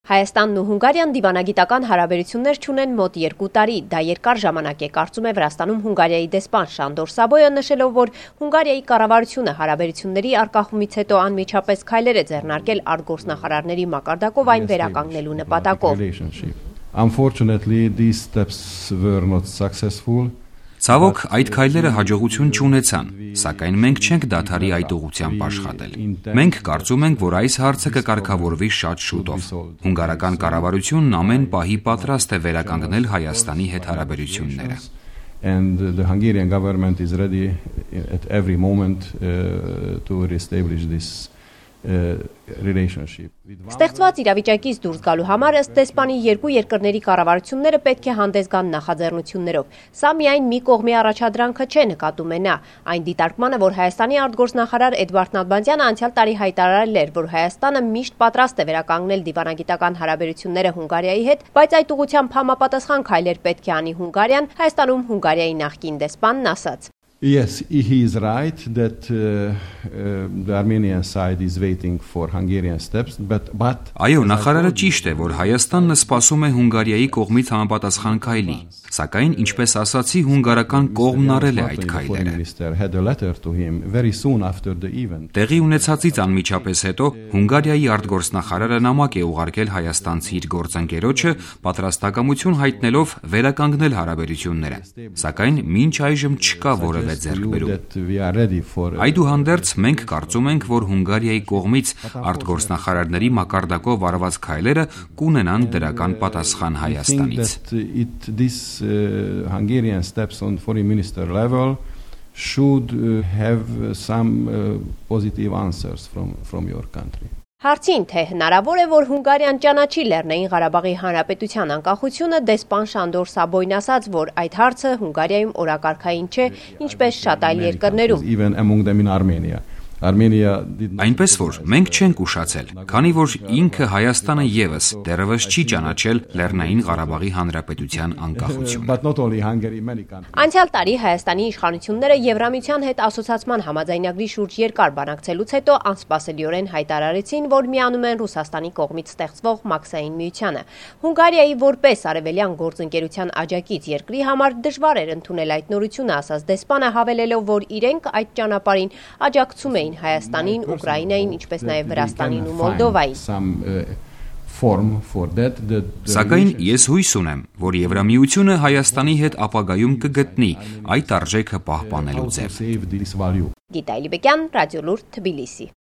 Հայաստանն ու Հունգարիան դիվանագիտական հարաբերություններ չունեն մոտ 2 տարի, դա երկար ժամանակ է, կարծում է Վրաստանում Հունգարիայի դեսպան Շանդոր Սաբոյը, նշելով, որ Հունգարիայի կառավարությունը հարաբերությունների առկախումից հետո անմիջապես քայլեր է ձեռնարկել արտգործնախարարների մակարդակով այն վերականգնելու նպատակով։ Unfortunately, these steps were not successful. Ցավոք, այդ քայլերը հաջողություն չունեցան, սակայն մենք չենք դադարի այդ ուղղությամբ աշխատել։ Մենք կարծում ենք, որ այս հարցը կկարգավորվի շատ շուտով։ Հունգարական կառավարությունն ամեն պահի պատրաստ է վերականգնել Հայաստանի հետ հարաբերությունները։ And the Hungarian government is ready at every moment to reestablish this relationship. Ստեղծված իրավիճակից դուրս գալու համար ըստ դեսպանի երկու երկրների կառավարությունները պետք է հանդես գան նախաձեռնություններով։ Սա միայն մի կողմի առաջադրանքը չէ, նկատում է նա։ Այն դիտարկմանը, որ Հայաստանի արտգործնախարար Էդվարդ Նալբանդյանը անցյալ տարի հայտարարել էր, որ Հայաստանը միշտ պատրաստ է վերականգնել դիվանագիտական հարաբերությունները Հունգարիայի հետ, բայց այդ ուղղությամբ համապատասխան քայլեր պետք է անի Հունգարիան, Հայաստանում Հունգարիայի նախկին դեսպանն ասաց. Yes, he is right that the Armenian side is waiting for Hungarian steps, but Այո, նախարարը ճիշտ է, որ Հայաստանն սպասում է Հունգարիայի կողմից համապատասխան քայլի, սակայն ինչպես ասացի, հունգարական կողմն արել է այդ քայլերը։ Տեղի ունեցածից անմիջապես հետո Հունգարիայի արտգործնախարարը նամակ է ուղարկել հայաստանցի իր գործընկերոջը, պատրաստակամություն հայտնելով վերականգնել հարաբերությունները, սակայն մինչ այժմ չկա որևէ ձեռքբերում։ Այդուհանդերձ մենք կարծում ենք, որ Հունգարիայի կողմից արտգործնախարարների մակարդակով արված քայլերը կունենան դրական պատասխան Հայաստանից։ Hungarian steps on foreign minister level should have some positive answers from your country. Հարցին, թե հնարավոր է, որ Հունգարիան ճանաչի Լեռնային Ղարաբաղի Հանրապետության անկախությունը, դեսպան Շանդոր Սաբոյն ասաց, որ այդ հարցը Հունգարիայում օրակարգային չէ, ինչպես շատ այլ երկրներում։ Այնպես որ մենք չենք ուշացել, քանի որ ինքը Հայաստանը ևս դեռևս չի ճանաչել Լեռնային Ղարաբաղի Հանրապետության անկախությունը։ Անցյալ տարի Հայաստանի իշխանությունները Եվրամիության հետ ասոցիացման համաձայնագրի շուրջ երկար բանակցելուց հետո անսպասելիորեն հայտարարեցին, որ միանում են Ռուսաստանի կողմից ստեղծվող Մաքսային միությանը։ Հունգարիայի որպես արևելյան գործընկերության աջակից երկրի համար դժվար էր ընդունել այդ նորությունը, ասաց դեսպանը, հավելելով, որ իրենք այդ ճանապարհին աջակցում էին Հայաստանին, Ուկրաինային, ինչպես նաև Վրաստանին ու Մոլդովային։ Սակայն ես հույս ունեմ, որ Եվրամիությունը Հայաստանի հետ ապագայում կգտնի այդ արժեքը պահպանելու ձև։ Գիտա Իլիբեկյան, Ռադիոլուրդ, Թբիլիսի։